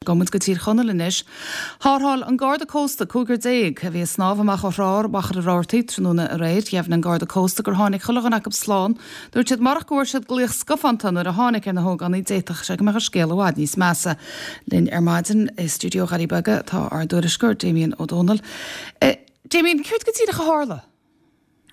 Gabhfaidh muid go Tír Chonaill anois. Tharrtháil an Garda Cósta cúigear a bhí ag snámh amach ó thrá Mhachaire Rabhartaigh tráthnóna aréir. Dheimhnigh an Garda Cósta gur tháinig chuile dhuine acu slán. Dúirt siad marach go bhfuair siad glaoch scafánta nuair a tháinig ar na hógánaigh d'fhéadfadh sé go mbeadh an scéal i bhfad níos measa. Linn ar maidin i stiúideo Dhoirí Beaga tá ár dtuairisceoir Damien Ó Dónaill. Damien, céard go díreach a tharla?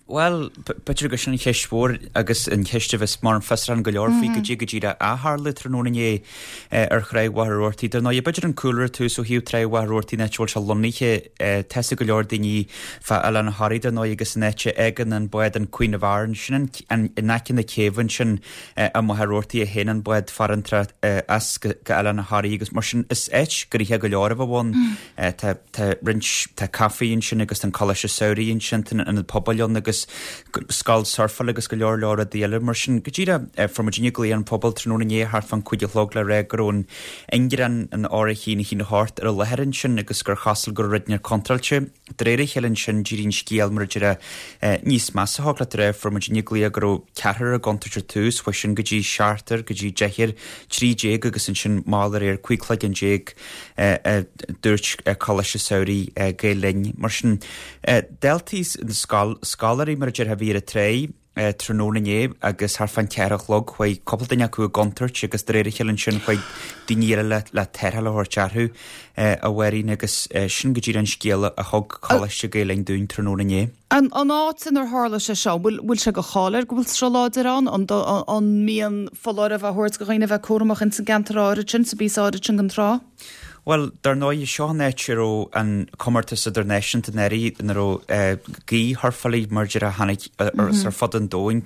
Bhuel, b'fhéidir gur sin an cheist mhór agus an cheist a bheas mar fiosrúchán go leor faoi goidé go díreach a tharla tráthnóna inné ar Thráigh Mhachaire Rabhartaigh. Dar ndóigh, b'fhéidir an cúlra ar tús ó thaobh Tráigh Mhachaire Rabhartaigh an áit a bhfuil sé lonnaithe, tá 'fhios ag go leor daoine fá Oileán Thoraí dar ndóigh agus an áit a fhágann an bád an Queen of Aran, sin an in aice na céibhe ansin i Machaire Rabhartaigh a théann an bád farantrach as go Oileán Thoraí agus mar sin is áit gnoitheach go leor a bheadh ann. Tá Tá roinnt, tá caife ansin agus tá an Coláiste Samhraidh ansin, tá an Ionad Pobail ann agus scoil surfála agus go leor leor rudaí eile mar sin. Go díreach, fuair muidinne glaoch ón phobal tráthnóna inné thart fán 5 a chlog le rá go raibh an Ingearán, an R1 1 8 ar an láthair ansin agus gur chosúil go raibh rud inteacht contráilte. De réir a chéile ansin d'éirigh an scéal mar a déarfá níos measa thig leat a rá, fuair muidinne glaoch go raibh ceathrar i gcontúirt ar tús, chuaigh sin go dtí seachtar, go dtí deichniúr, 13 agus ansin mall aréir 15 cloigeann. a dúirt Coláiste Samhraidh Gael Linn. Mar sin, daltaí scoláirí mar a déarfá a bhí ar an tráigh tráthnóna inné agus thart fán cheathair a chlog chuaigh cúpla duine acu i gcontúirt agus de réir a chéile ansin chuaigh daoine eile le le tarrtháil a thabhairt orthu a Mháirín agus sin go díreach an scéal a thug Coláiste Gael Linn dúinn tráthnóna inné. An áit inar tharla sé seo, an bhfuil sé de cháil air go bhfuil sruth láidir ann? An mbíonn foláireamh á thabhairt do dhaoine a bheith cúramach ins an gceantar áirid sin, sa bpíosa áirid sin den trá? Bhuel, dar ndóigh, seo an áit a raibh an comórtas idirnáisiúnta anuraidh ina raibh gaoth-shurfálaí mar a déarfá a tháinig ar fud an domhain,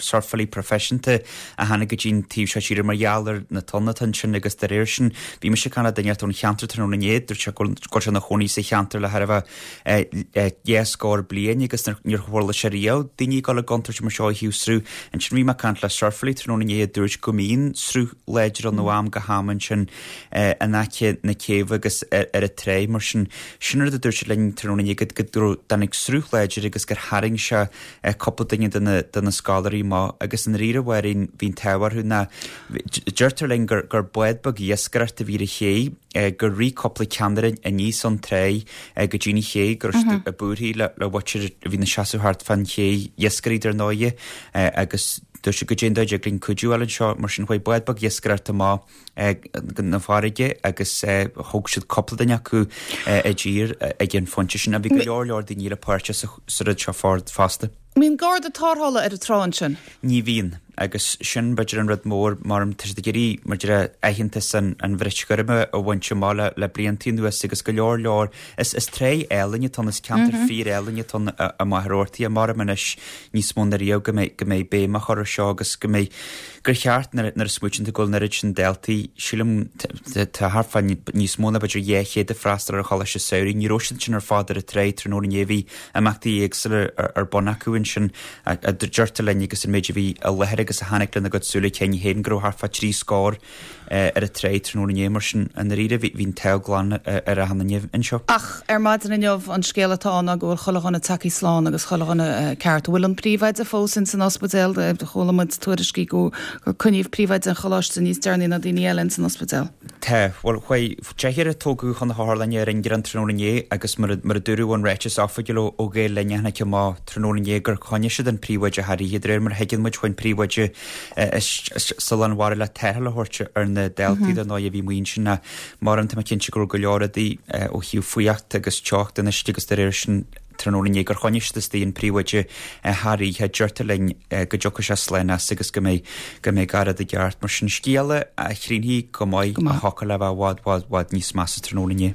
surfálaí proifisiúnta a tháinig go dtí an taobh seo tíre mar gheall ar na tonnta atá ansin agus de réir sin bhí mise ag caint le duine ón cheantar tráthnóna inné, dúirt sé go bhfuil sé ina chónaí sa cheantar le thar a bheith 20 scór bliain agus níor chuala sé riamh daoine ag dul i gcontúirt mar seo ó thaobh sruth. Ansin bhí mé ag caint le surfálaí tráthnóna inné a dúirt go mbíonn sruth láidir ann ó am go ham ansin in aice na céibhe agus ar an tráigh mar sin. Sin rud a dúirt siad linn tráthnóna inné go dtáinig sruth láidir agus gur tharraing sé cúpla duine de na scoláirí amach agus i ndáiríre a Mháirín bhí an t-ádh orthu ná deirtear linn gur bád beag iascaireachta a bhí ar an ché gur rith cúpla ceannaire aníos ón tráigh go dtí an ché, go raibh siad ag buarthaí le muintir a bhí ina seasamh thart fán ché, iascairí dar ndóighe, agus dúirt siad goidé an dóigh a dtig linn cuidiú a fháil anseo, mar sin chuaigh bád beag iascaireachta amach chun na farraige agus thóg siad cúpla duine acu i dtír ag an phointe sin. Bhí go leor leor daoine eile páirteach sa rud seo fosta. Mbíonn garda tarrthála ar an trá ansin? Ní bhíonn, agus sin b'fhéidir an rud mór mar tá siad ag iarraidh mar a déarfá aitheantas an an bhrait ghoirm a bhaint amach le le blianta anuas agus go leor leor is is tráigh álainn atá ann is ceantar fíor álainn atá ann i Machaire Rabhartaigh maram anois níos mó ná riamh go mbeidh go mbeidh béim á chur ar seo agus go mbeidh gur cheart nuair a smaoitíonn tú go bhfuil an oiread sin daltaí, sílim tá thart fá níos mó ná b'fhéidir 200 ag freastal ar an Choláiste Samhraidh, ní raibh siad sin ar fad ar an tráigh tráthnóna inné, bhí imeachtaí éagsúla ar bun acu ansin, a deirtear linn agus an méid a bhí i láthair agus a chonaic lena gcuid súile cinn féin go raibh thart fá thrí scór ar an tráigh tráthnóna inné, mar sin i ndáiríre bhí an t-ádh glan ar achan duine anseo. Ach ar maidin inniu an scéal atá ann ná go bhfuil chuile dhuine tagthaí slán agus chuile dhuine ceart. An bhfuil an príomhoide fós ins an ospidéal? Chuala muid tuairiscí go gur coinníodh príomhoide an choláiste níos deireanaí ná daoine eile ins an ospidéal. Tá. Bhuel, chuaigh deichniúr a tógadh chun na hotharlainne ar ingearán tráthnóna inné agus mar a dúradh ón ráiteas oifigiúil ó Ghael Linn a tháinig amach tráthnóna inné gur choinnigh siad an príomhoide thar oíche. De réir mar a thuigeann muid, chuaigh an príomhoide sa lán mhara le tarrtháil a thabhairt ar na daltaí dar ndóigh a bhí amuigh ansin ach maram tá mé cinnte go raibh go leor rudaí ó thaobh fuíocht agus teocht den uisce agus de réir sin tráthnóna inné gur choinnigh siad istigh an príomhoide thar oíche. Deirtear linn go dtiocfaidh sé slán as agus go mbeidh go mbeidh gach rud i gceart. Mar sin scéala a chrínfidh go maith a thiocfadh le bheith i bhfad bhfad bhfad níos measa tráthnóna inné.